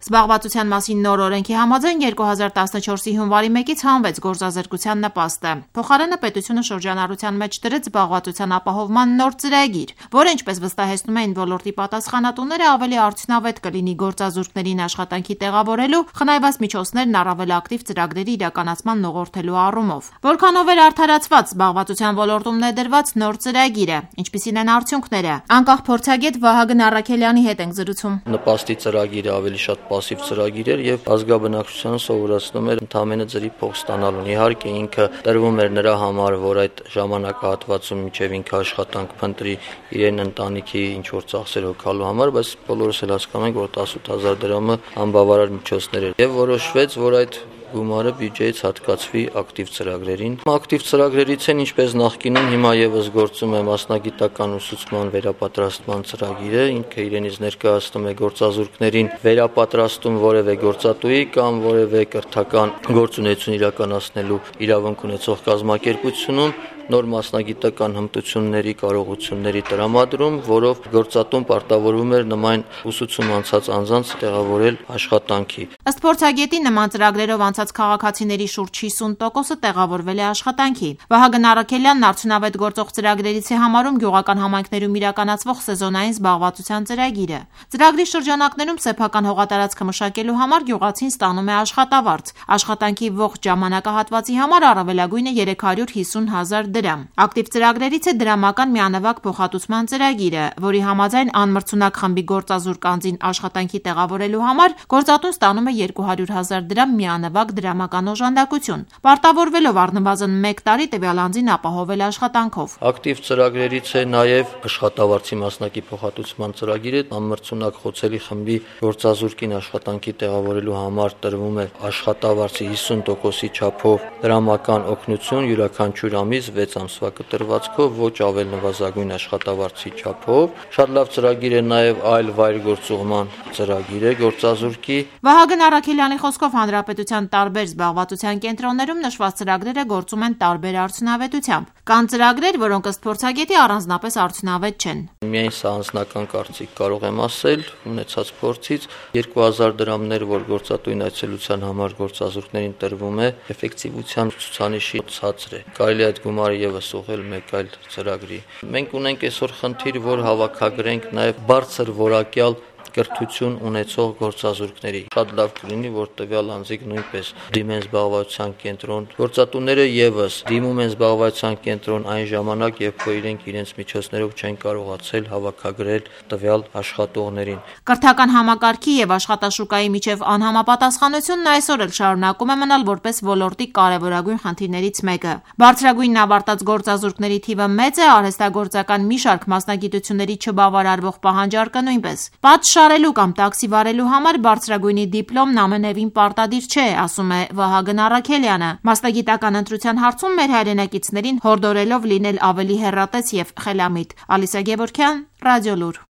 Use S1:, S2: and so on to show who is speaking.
S1: Զբաղվածության մասին նոր օրենքի համաձայն 2014-ի հունվարի 1-ից հանվեց գործազրկության նպաստը։ Փոխարենը պետությունը շրջանառության մեջ դրեց զբաղվածության ապահովման նոր ծրագիր, որը, ինչպես վստահեցնում էին ոլորտի պատասխանատուները, ավելի արդյունավետ կլինի գործազուրկներին աշխատանքի տեղավորելու, խնայված միջոցներն առավել ակտիվ ծրագրերի իրականացման ուղղորդելու առումով։ Որքանով էր արդարացված զբաղվածության ոլորտում ներդրված նոր ծրագիրը, ինչպիսին են արդյունքները։ Անկախ փորձագետ Վահագն Առաքելյանի հետ ենք զրուցում։
S2: Նպաստի ծրագիրը ավելի շատ պասիվ ծրագիր էր եւ ազգաբնակչությանը սովորացնում էր ընդամենը ջրի փող ստանալուն։ Իհարկե ինքը տրվում էր նրա համար, որ այդ ժամանակահատվածում մինչեւ ինքը աշխատանք փնտրի իրեն ընտանիքի ինչ որ ծախսեր հոգալու համար, բայց բոլորս էլ հասկանում ենք, որ 18000 դրամը անբավարար միջոցներ էր եւ որոշվեց, որ այդ գումարը բյուջեից հատկացվի ակտիվ ծրագրերին։ Ակտիվ ծրագրերից են ինչպես նախկինում հիմա եւս գործում է մասնագիտական ուսուցման վերապատրաստման ծրագիրը, ինքը իրենից ներկայացնում է գործազուրկներին վերապատրաստում որևէ գործատուի կամ որևէ կրթական գործունեություն իրականացնելու իրավունք ունեցող կազմակերպությունում նոր մասնագիտական հմտությունների կարողությունների տրամադրում, որով գործատուն պարտավորվում էր նման ուսուցում անցած անձանց տեղավորել աշխատանքի։
S1: Ըստ փորձագետի նման ծրագրերով անցած քաղաքացիների շուրջ 50%-ը տեղավորվել է աշխատանքի։ Վահագն Առաքելյանն արդյունավետ գործող ծրագրերից է համարում գյուղական համայնքներում իրականացվող սեզոնային զբաղվածության ծրագիրը։ Ծրագրի շրջանակներում սեփական հողատարածքը մշակելու համար գյուղացին ստանում է աշխատավարձ։ Աշխատանքի ողջ ժամանակահատվածի համար առավելագույնը 350,000 դրամ։ Ակտիվ ծրագրերից է դրամական միանավակ փոխհատուցման ծրագիրը, որի համաձայն անմրցունակ խմբի գործազուրկ անձին աշխատանքի տեղավորելու համար գործատուն ստանում է 200,000 դրամ միանավակ դրամական օժանդակություն, պարտավորվելով առնվազն 1 տարի տվյալ անձին ապահովել աշխատանքով։
S2: Ակտիվ ծրագրերից է նաև աշխատավարձի մասնակի փոխհատուցման ծրագիրը, անմրցունակ խոցելի խմբի գործազուրկին աշխատանքի տեղավորելու համար տրվում է աշխատավարձի 50%-ի չափով դրամական օգնություն յուրաքանչյուր ամիս 6 ամսվա կտրվածքով, ոչ ավել նվազագույն աշխատավարձի չափով։ Շատ լավ ծրագիր է նաև այլ վայր գործուղման ծրագիրը գործազուրկի։
S1: Վահագն Առաքելյանի խոսքով հանրապետության տարբեր զբաղվածության կենտրոններում նշված ծրագրերը գործում են տարբեր արդյունավետությամբ։ Կան ծրագրեր, որոնք ըստ փորձագետի առանձնապես արդյունավետ չեն։
S2: Միայն սա անձնական կարծիք կարող եմ ասել, ունեցած փորձից 2000 դրամներ, որ գործատուին այցելության համար գործազուրկներին տրվում է, էֆեկտիվության ցուցանիշի ցածր է։ Կարելի է այդ գումարը եւս ուղղել մեկ այլ ծրագրի։ Մենք ունենք այսօր խնդիր, որ հավաքագրենք նաև բարձր որակյալ կրթություն ունեցող գործազուրկների։ Շատ լավ կլինի, որ տվյալ անձիկ նույնպես դիմեն զբաղվածության կենտրոն։ Գործատուները եւս դիմում են զբաղվածության կենտրոն այն ժամանակ, երբ որ իրենց միջոցներով չեն կարողացել հավաքագրել տվյալ աշխատողներին։
S1: Կրթական համակարգի եւ աշխատաշուկայի միջև անհամապատասխանությունն այսօր էլ շարունակում է մնալ որպես ոլորտի կարևորագույն խնդիրներից մեկը։ Բարձրագույնն ավարտած գործազուրկների թիվը մեծ է, արհեստագործական մի շարք մասնագիտությունների չբավարարվող պահանջարկը նույնպես։ Շարելու կամ տաքսի վարելու համար բարձրագույնի դիպլոմն ամենևին պարտադիր չէ, ասում է Վահագն Առաքելյանը։ Մասնագիտական ընտրության հարցում մեր հայրենակիցներին հորդորելով լինել ավելի հեռատես եւ խելամիտ։ Ալիսա Գևորգյան, Ռադիոլուր։